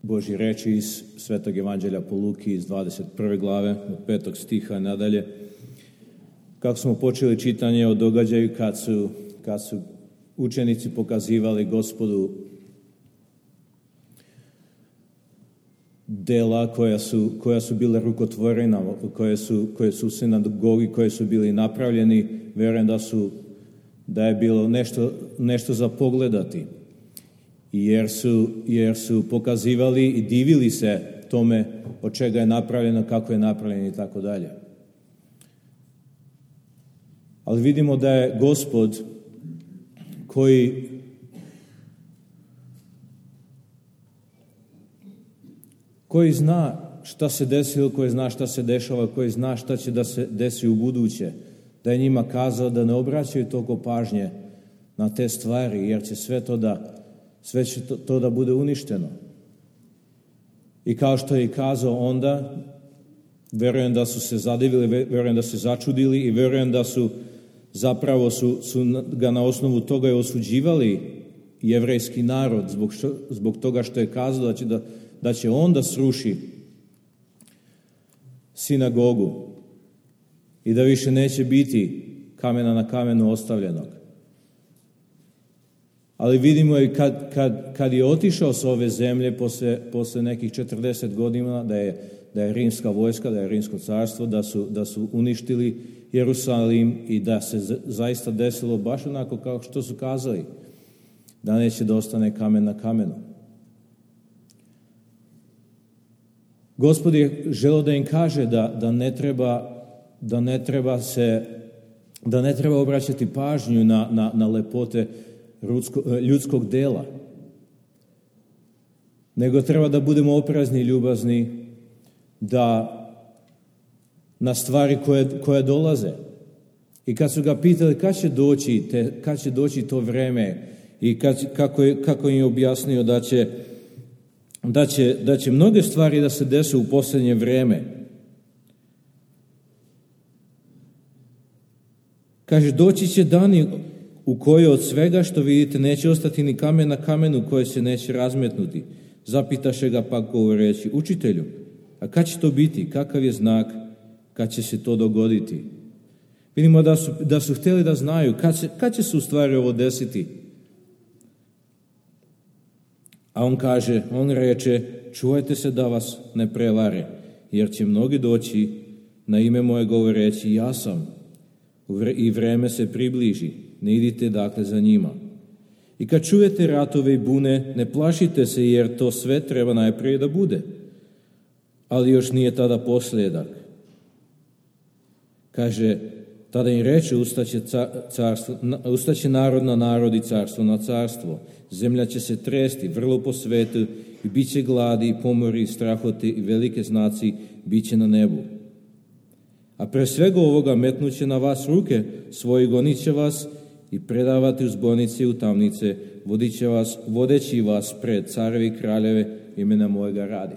Božje reči iz Svetog evanđelja po Luki iz 21. glave, od 5. stiha nadalje. Kako smo počeli čitanje o događaju kad su učenici pokazivali Gospodu dela koja su bile rukotvorena, koje su u sinagogi, koje su bili napravljeni, vjerujem da je bilo nešto za pogledati. Jer su pokazivali i divili se tome od čega je napravljeno, kako je napravljeno i tako dalje. Ali vidimo da je Gospod koji zna šta se desilo, koji zna šta se dešava, koji zna šta će da se desi u buduće, da je njima kazao da ne obraćaju toliko pažnje na te stvari, jer će sve će to da bude uništeno. I kao što je kazao onda, verujem da su se zadivili, verujem da su se začudili i verujem da su zapravo su ga na osnovu toga i osuđivali jevrejski narod zbog toga što je kazao da će on da sruši sinagogu i da više neće biti kamena na kamenu ostavljenog. Ali vidimo i kad je otišao s ove zemlje posle nekih 40 godina da je rimska vojska, da je rimsko carstvo, da su uništili Jerusalim i da se zaista desilo baš onako kao što su kazali, da neće da ostane kamen na kamenu. Gospod je želeo da im kaže da ne treba obraćati pažnju na lepote ljudskog dela, nego treba da budemo oprezni i ljubazni na stvari koje dolaze. I kad su ga pitali kad će doći to vreme i kako im je objasnio da će mnoge stvari da se dese u posljednje vreme. Kaže, doći će dani u kojoj od svega što vidite neće ostati ni kamen na kamenu koje se neće razmetnuti. Zapitaše ga pak govoreći, učitelju, a kad će to biti? Kakav je znak? Kad će se to dogoditi? Vidimo da su htjeli da znaju kad će se u stvari ovo desiti. A on reče, čuvajte se da vas ne prevare, jer će mnogi doći na ime moje govoreći, ja sam, i vreme se približi, ne idite dakle za njima. I kad čujete ratove i bune, ne plašite se, jer to sve treba najprije da bude, ali još nije tada posljedak. Kaže, tada im reče, ustaće narod na narod i carstvo na carstvo. Zemlja će se tresti, vrlo po svetu, i bit će gladi, i pomori, i strahoti, i velike znaci bit će na nebu. A pre svega ovoga metnuće na vas ruke svoji, gonit će vas i predavati u zbornice i u tamnice, vodeći vas pred carevi i kraljeve imena mojega radi.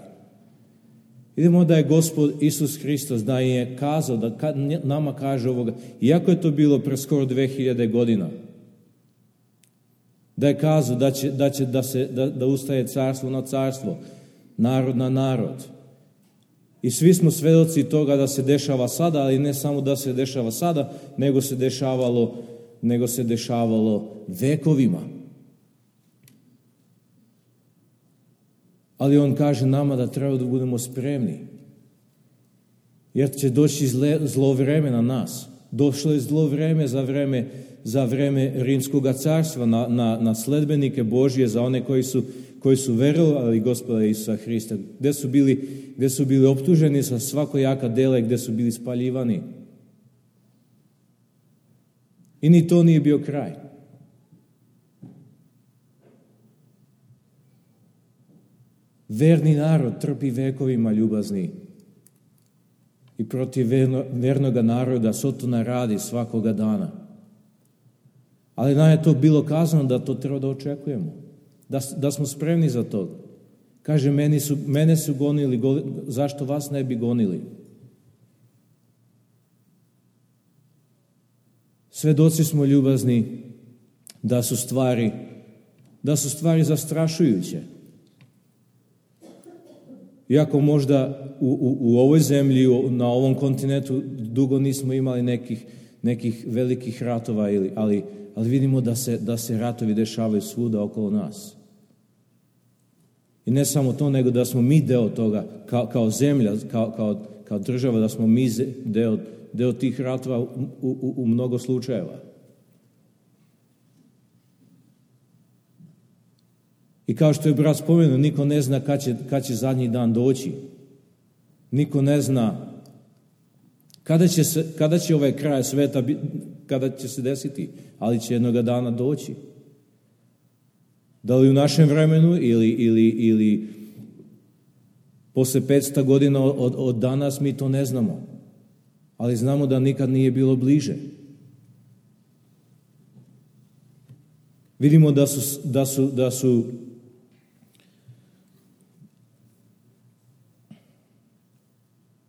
Vidimo da je Gospod Isus Hristos, da je kazao, da nama kaže ovoga, iako je to bilo pre skoro 2000 godina, da je kazao da ustaje carstvo na carstvo, narod na narod. I svi smo svedoci toga da se dešava sada, ali ne samo da se dešava sada, nego se dešavalo vekovima. Ali on kaže nama da treba da budemo spremni, jer će doći zlo vreme na nas. Došlo je zlo vreme za vreme Rimskog carstva, na sledbenike Božje, za one koji su verovali Gospoda Isusa Hrista, gde su bili optuženi sa svakojaka dela, gde su bili spaljivani. I ni to nije bio kraj. Verni narod trpi vekovima, ljubazni, i protiv vernoga naroda Sotona radi svakoga dana. Ali nam je to bilo kazano da to treba da očekujemo, da smo spremni za to. Kaže, mene su gonili, zašto vas ne bi gonili? Svedoci smo, ljubazni, da su stvari zastrašujuće. Iako možda u ovoj zemlji, na ovom kontinentu dugo nismo imali nekih velikih ratova, ali vidimo da se ratovi dešavaju svuda okolo nas. I ne samo to, nego da smo mi deo toga, kao zemlja, kao država, da smo mi deo tih ratova u mnogo slučajeva. I kao što je brat spomenuo, niko ne zna kad će zadnji dan doći. Niko ne zna kada će ovaj kraj sveta, kada će se desiti, ali će jednoga dana doći. Da li u našem vremenu ili posle 500 godina od danas, mi to ne znamo. Ali znamo da nikad nije bilo bliže. Vidimo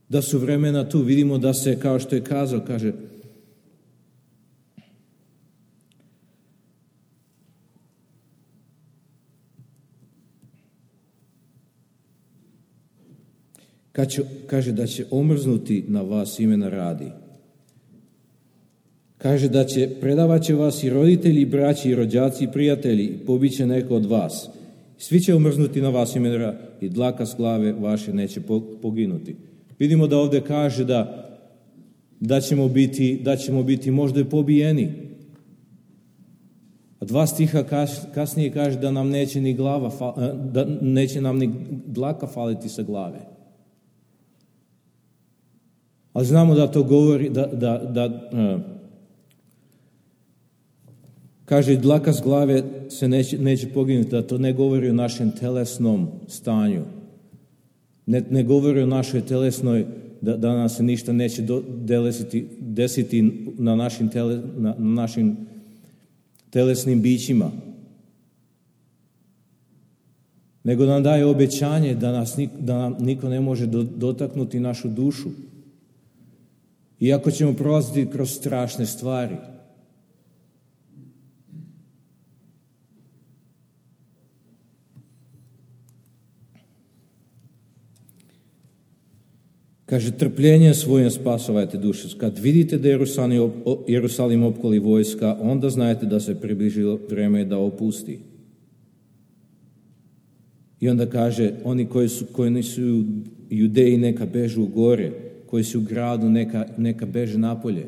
da su vremena tu. Vidimo da se, kao što je kazao, kaže da će omrznuti na vas imena radi. Kaže da predavat će vas i roditelji, i braći, i rođaci, i prijatelji, pobiće neko od vas. Svi će omrznuti na vas imena radi i dlaka s glave vaše neće poginuti. Vidimo da ovdje kaže da ćemo biti možda i pobijeni. A 2 stiha kasnije kaže da nam neće ni da neće nam ni dlaka faliti sa glave. Ali znamo da to govori kaže dlaka s glave se neće poginuti, da to ne govori o našem telesnom stanju. Ne govori o našoj telesnoj, da nam se ništa neće desiti na našim telesnim bićima. Nego nam daje obećanje da nam niko ne može dotaknuti našu dušu. Iako ćemo prolaziti kroz strašne stvari. Kaže, trpljenje svojim spasavajte duše. Kad vidite da Jerusalim opkoli vojska, onda znajte da se približilo vreme da opusti. I onda kaže, oni koji nisu Judeji neka bežu u gore, koji su u gradu neka beže napolje.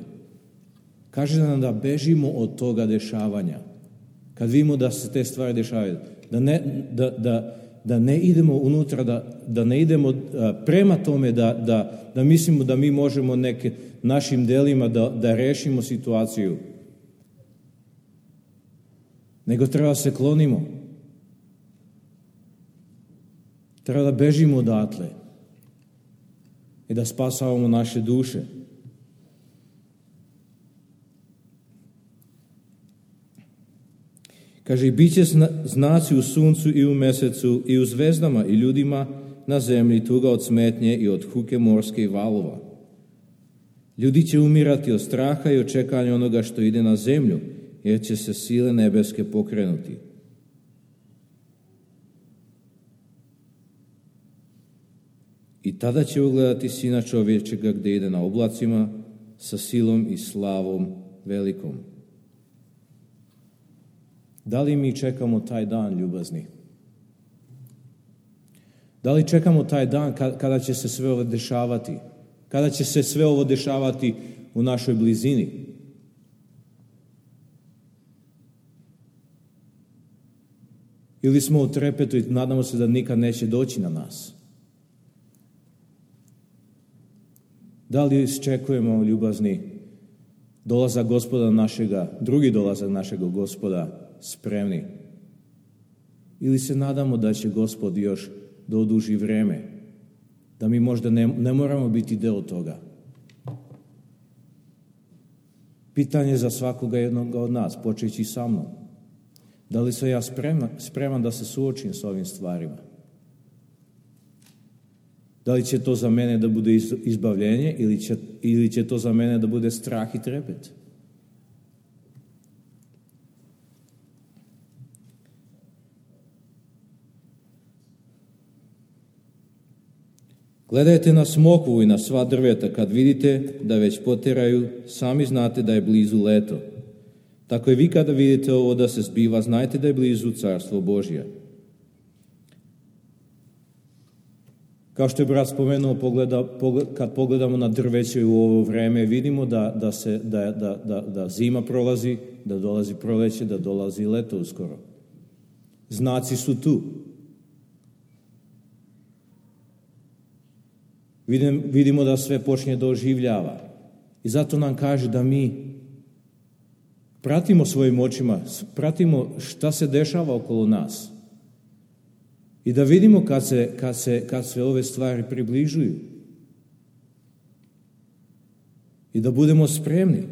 Kaže nam da bežimo od toga dešavanja. Kad vidimo da se te stvari dešavaju, da ne idemo unutra, da ne idemo prema tome, da mislimo da mi možemo našim delima da rešimo situaciju. Nego treba se klonimo. Treba da bežimo odatle i da spasavamo naše duše. Kaže, i bit će znaci u suncu i u mesecu i u zvezdama i ljudima na zemlji, tuga od smetnje i od huke morske i valova. Ljudi će umirati od straha i očekanja onoga što ide na zemlju, jer će se sile nebeske pokrenuti. I tada će ugledati Sina čovječega gdje ide na oblacima sa silom i slavom velikom. Da li mi čekamo taj dan, ljubazni? Da li čekamo taj dan kada će se sve ovo dešavati? Kada će se sve ovo dešavati u našoj blizini? Ili smo u trepetu i nadamo se da nikad neće doći na nas? Da li iščekujemo, ljubazni, dolazak Gospoda našega, drugi dolazak našega Gospoda, spremni? Ili se nadamo da će Gospod još da oduži vreme, da mi možda ne moramo biti deo toga? Pitanje za svakoga jednog od nas, počeći sa mnom. Da li sam ja spreman da se suočim s ovim stvarima? Da li će to za mene da bude izbavljenje ili će to za mene da bude strah i trepet? Gledajte na smokvu i na sva drveta, kad vidite da već poteraju, sami znate da je blizu leto. Tako i vi kada vidite ovo da se zbiva, znajte da je blizu Carstvo Božje. Kao što je brat spomenuo, kad pogledamo na drveće u ovo vreme, vidimo da zima prolazi, da dolazi proleće, da dolazi leto uskoro. Znaci su tu. Vidimo da sve počinje da oživljava. I zato nam kaže da mi pratimo svojim očima, pratimo šta se dešava okolo nas. I da vidimo kad se ove stvari približuju. I da budemo spremni.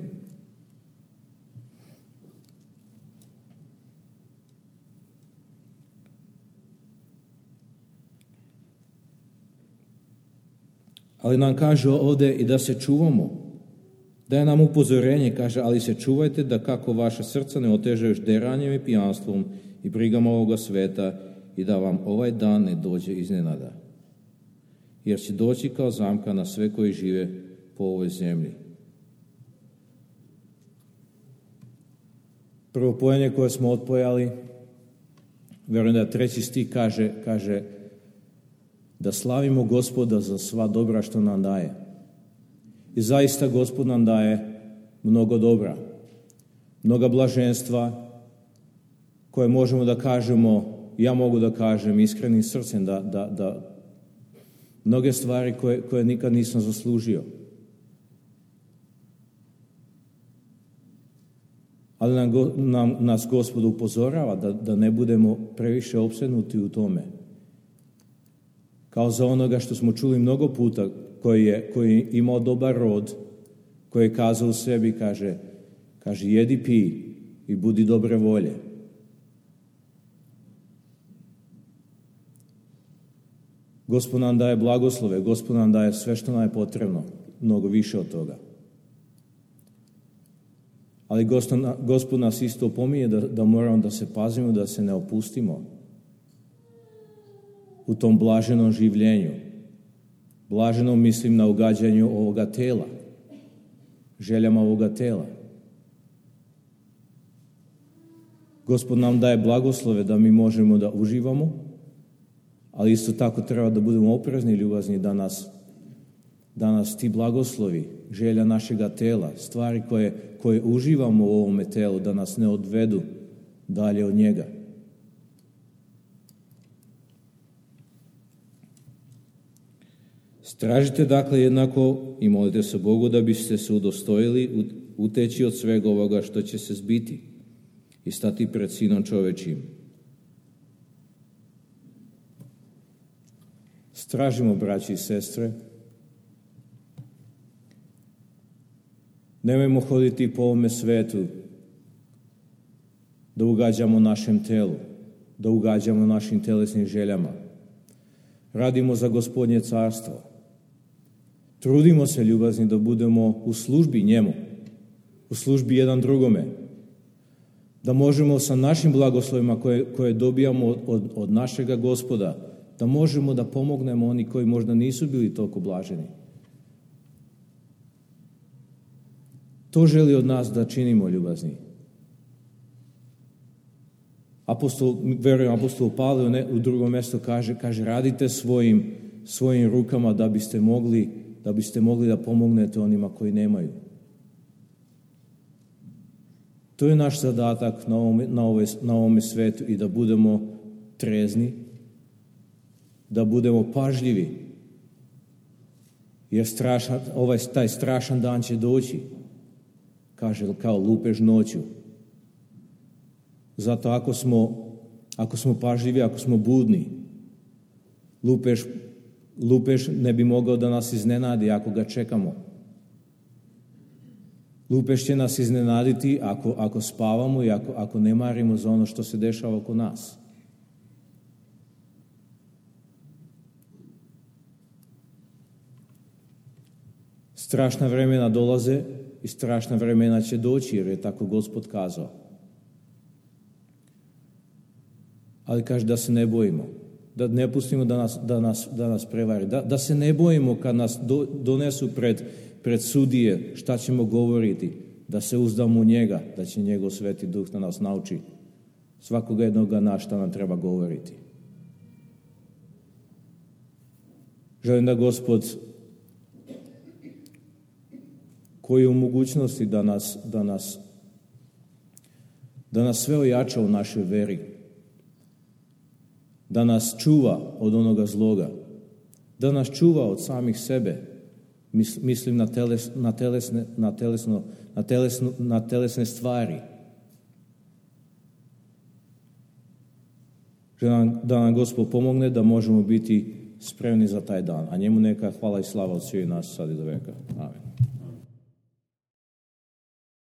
Ali nam kaže ovdje i da se čuvamo. Daje nam upozorenje, kaže, ali se čuvajte da kako vaša srca ne otežaju deranjem i pijanstvom i brigama ovoga sveta i da vam ovaj dan ne dođe iznenada. Jer će doći kao zamka na sve koji žive po ovoj zemlji. Prvo pojenje koje smo otpojali, vjerujem da 3. stih kaže da slavimo Gospoda za sva dobra što nam daje. I zaista Gospod nam daje mnogo dobra, mnoga blaženstva koje možemo da kažemo, ja mogu da kažem iskrenim srcem da mnoge stvari koje nikad nisam zaslužio. Ali nas Gospod upozorava da ne budemo previše opsednuti u tome. Kao za onoga što smo čuli mnogo puta, koji je imao dobar rod, koji je kazao u sebi, kaže jedi, pi i budi dobre volje. Gospod nam daje blagoslove, Gospod nam daje sve što nam je potrebno, mnogo više od toga. Ali Gospod nas isto opominje da moramo da se pazimo, da se ne opustimo u tom blaženom življenju. Blaženo mislim na ugađanju ovoga tela, željama ovoga tela. Gospod nam daje blagoslove da mi možemo da uživamo, ali isto tako treba da budemo oprezni i ljubazni da nas ti blagoslovi, želja našega tela, stvari koje uživamo u ovome telu, da nas ne odvedu dalje od njega. Stražite dakle jednako i molite se Bogu da biste se udostojili uteći od svega ovoga što će se zbiti i stati pred Sinom čovečim. Stražimo, braći i sestre. Nemojmo hoditi po ovome svetu da ugađamo našem telu, da ugađamo našim telesnim željama. Radimo za Gospodnje carstvo. Trudimo se, ljubazni, da budemo u službi njemu, u službi jedan drugome, da možemo sa našim blagoslovima koje dobijamo od našega Gospoda, da možemo da pomognemo oni koji možda nisu bili toliko blaženi. To želi od nas da činimo, ljubazni. Apostol Pavle u drugom mjestu kaže radite svojim rukama da biste mogli da pomognete onima koji nemaju. To je naš zadatak na ovome svetu i da budemo trezni, da budemo pažljivi, jer taj strašan dan će doći, kaže kao lupež noću. Zato ako smo pažljivi, ako smo budni, lupež ne bi mogao da nas iznenadi ako ga čekamo. Lupež će nas iznenaditi ako spavamo i ako ne marimo za ono što se dešava oko nas. Strašna vremena dolaze i strašna vremena će doći, jer je tako Gospod kazao. Ali kaže da se ne bojimo, Da ne pustimo da nas prevari. Da se ne bojimo kad nas donesu pred sudije šta ćemo govoriti. Da se uzdamo u njega, da će njegov Sveti Duh da nas nauči svakoga jednoga na šta nam treba govoriti. Želim da Gospod, koji je u mogućnosti da nas sve ojača u našoj veri, da nas čuva od onoga zloga, da nas čuva od samih sebe, mislim na telesne stvari. Želim da nam Gospod pomogne da možemo biti spremni za taj dan. A njemu neka hvala i slava od svih nas sad i do veka. Amen.